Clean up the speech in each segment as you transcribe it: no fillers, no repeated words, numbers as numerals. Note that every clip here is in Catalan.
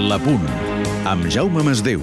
La Punt, amb Jaume Masdeu.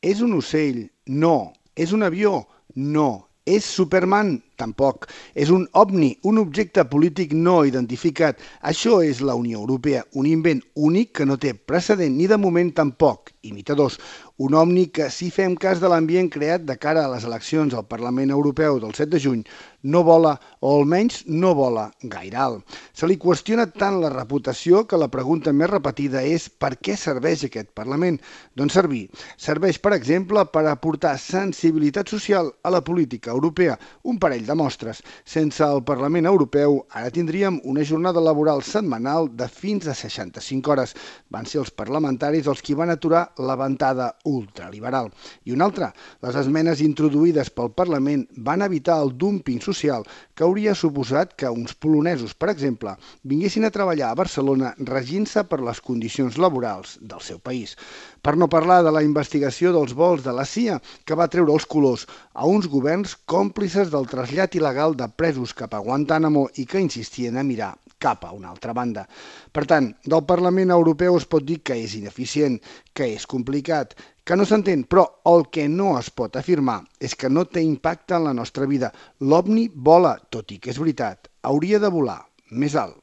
És un ocell? No. És un avió? No. És Superman? Tampoc. És un ovni, un objecte polític no identificat. Això és la Unió Europea, un invent únic que no té precedent ni de moment tampoc imitadors. Un ovni que, si fem cas de l'ambient creat de cara a les eleccions al Parlament Europeu del 7 de juny, no vola, o almenys no vola gaire alt. Se li qüestiona tant la reputació que la pregunta més repetida és per què serveix aquest Parlament? Doncs servir. Serveix, per exemple, per aportar sensibilitat social a la política europea, un parell de mostres. Sense el Parlament Europeu, ara tindríem una jornada laboral setmanal de fins a 65 hores. Van ser els parlamentaris els qui van aturar la ventada ultraliberal. I una altra, les esmenes introduïdes pel Parlament van evitar el dúmping social que hauria suposat que uns polonesos, per exemple, vinguessin a treballar a Barcelona regint-se per les condicions laborals del seu país. Per no parlar de la investigació dels vols de la CIA, que va treure els colors a uns governs còmplices del trasllat il·legal de presos cap a Guantánamo i que insistien a mirar cap a una altra banda. Per tant, del Parlament Europeu es pot dir que és ineficient, que és complicat, que no s'entén, però el que no es pot afirmar és que no té impacte en la nostra vida. L'OVNI vola, tot i que és veritat, hauria de volar més alt.